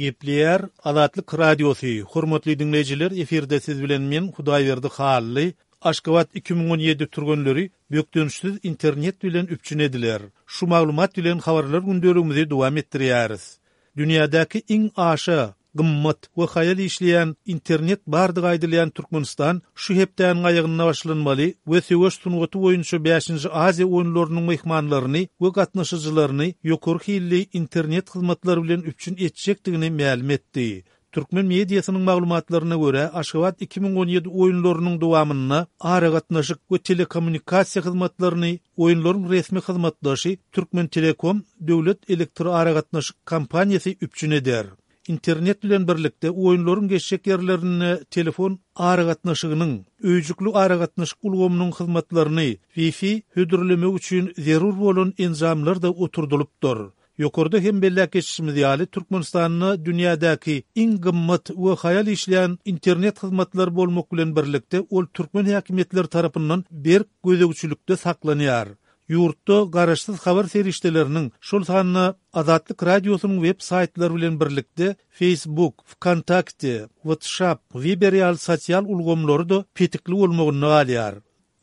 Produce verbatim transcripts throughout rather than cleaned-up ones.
Gepleýär Azatlyk Radiosy, Hormatly diňleýjiler, efirde siz bilen men Hudaýberdi Hally. Aşgabat iki müň on ýedi türgenleri bökdençsiz internet bilen üpjün ediler. Şu maglumat bilen habarlar gündeligimizi dowam etdirýäris. Dünýädäki iň aşa gymmat we haýal işleýän internet bardygy aýdylýan Türkmenistan şu hepdäniň aýagynda başlanmaly we söweş sungaty boýunça bäşinji Aziýa oýunlarynyň myhmanlaryny we gatnaşyjylaryny ýokary hilli internet hyzmatlary bilen üpjün etjekdigini mälim etdi. Türkmen mediasynyň maglumatlaryna görä, Aşgabat iki müň on ýedi oýunlarynyň dowamynda aragatnaşyk we telekommunikasiýa hyzmatlaryny oýunlaryň resmi hyzmatdaşy Türkmentelekom döwlet elektroaragatnaşyk kompaniýasy üpjün eder. Internet bilen birlikde oýunlaryň geçjek ýerlerinde telefon aragatnaşygynyň, öýjükli aragatnaşyk ulgamynyň hyzmatlaryny, Wi-Fi hödürlemek üçin zerur bolan enjamlar-da oturdylypdyr. Ýokarda hem belläp geçişimiz ýaly, Türkmenistanda dünýädäki iň gymmat we haýal işleýän internet hyzmatlary bolmak bilen birlikde, ol türkmen häkimiýetleri tarapyndan berk gözegçilikde saklanýar. Ýurtda garaşsyz habar serişdeleriniň, şol sanda Azatlyk Radiosynyň web saýtlary bilen birlikde Facebook, Wkontakte, WhatsApp, Viber ýaly sosial ulgamlary-da petikli bolmagynda galýar.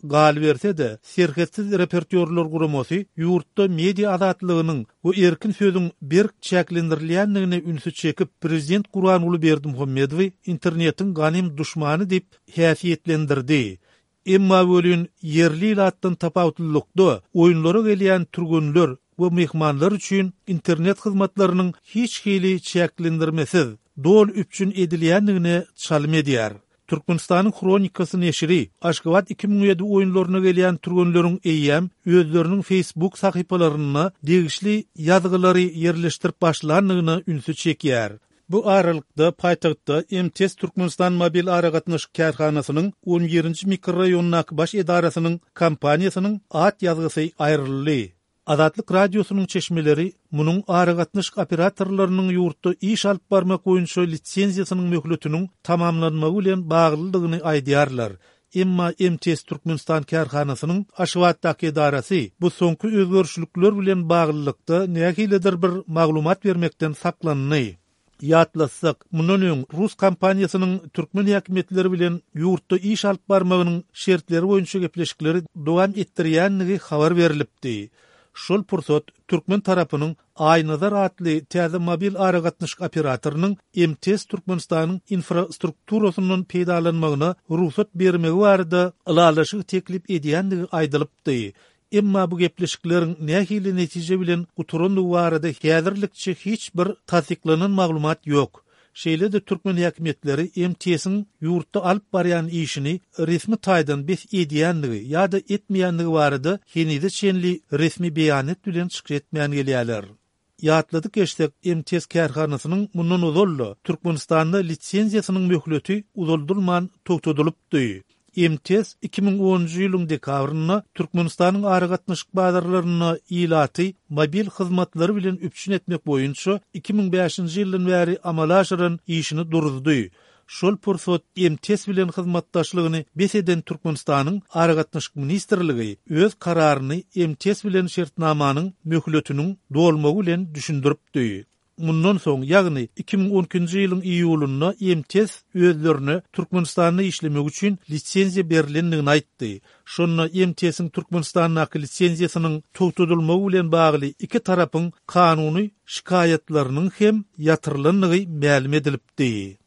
Galyberse-de, Serhetsiz reportýorlar guramasy ýurtda media azatlygynyň we erkin sözüň berk çäklendirilýändigine ünsi çekip, prezident Gurbanguly Berdimuhamedowy internetiň ganym duşmany diýip häsiýetlendirdi. Emma welin ýerli ilatdan tapawutlylykda, oýunlara gelýän türgenler we myhmanlar üçin internet hyzmatlarynyň hiç hili çäklendirmesiz, doly üpjün edilýändigine çalym edýär. Türkmenistanyň Hronikasy neşiri Aşgabat iki müň ýedi oýunlaryna gelýän türgenleriň eýýäm özleriniň Facebook sahypalarynda degişli ýazgylary ýerleşdirip başlandygyna ünsi çekýär. Bu aralykda paýtagtda M T S Türkmenistan mobil aragatnaşyk kärhanasynyň on birinji mikroraýondaky baş edarasynyň kompaniýasynyň at ýazgysy aýryldy. Azatlyk Radiosynyň çeşmeleri munuň aragatnaşyk operatorlarynyň ýurtda iş alyp barmak boýunça lisenziýasynyň möhletiniň tamamlanmagy bilen baglydygyny aýdýarlar. Emma M T S Türkmenistan kärhanasynyň Aşgabatdaky edarasy bu soňky özgerişlikler bilen baglylykda nähilidir bir maglumat bermekden saklandy. Ýatlatsak, mundan öň rus kompaniýasynyň türkmen häkimiýetleri bilen ýurtda iş alyp barmagynyň şertleri boýunça gepleşikleri dowam etdirýändigi habar berilipdi. Şol pursat türkmen tarapynyň Aýnazar atly täze mobil aragatnaşyk operatorynyň M T S Türkmenistanyň infrastrukturasyndan peýdalanmagyna rugsat bermegi barada ylalaşyk teklip edýändigi aýdylypdy. Emma bu gepleşikleriň nähili netije bilen gutarandygy barada häzirlikçe hiç bir tassyklanan maglumat ýok. Şeýle-de türkmen häkimiýetleri M T S-iň ýurtda alyp barýan işini resmi taýdan bes edýändigi ýa-da etmeýändigi barada henize çenli resmi beýanat bilen çykyş etmän gelýärler. Ýatladyk geçsek, M T S kärhanasynyň mundan ozal-da Türkmenistanda lisenziýasynyň möhleti uzaldylman togtadylypdy. M T S iki müň onunjy ýylyň dekabrynda Türkmenistanyň aragatnaşyk bazarlarynda ilaty mobil hyzmatlary bilen üpjün etmek boýunça iki müň bäşinji ýyldan bäri amala aşyran işini duruzdy. Şol pursat M T S bilen hyzmatdaşlygyny bes eden Türkmenistanyň Aragatnaşyk Ministrligi öz kararyny M T S bilen şertnamanyň möhletiniň dolmagy bilen düşündiripdi. Mundan soň, ýagny iki müň on ikinji ýylyň iýulynda M T S özlerine Türkmenistanda işlemek üçin lisenziýa berilendigini aýtdy. Şonda M T S-iň Türkmenistandaky lisenziýasynyň togtadylmagy bilen bagly iki tarapyň kanuny şikaýatlarynyň hem ýatyrylandygy mälim edilipdi.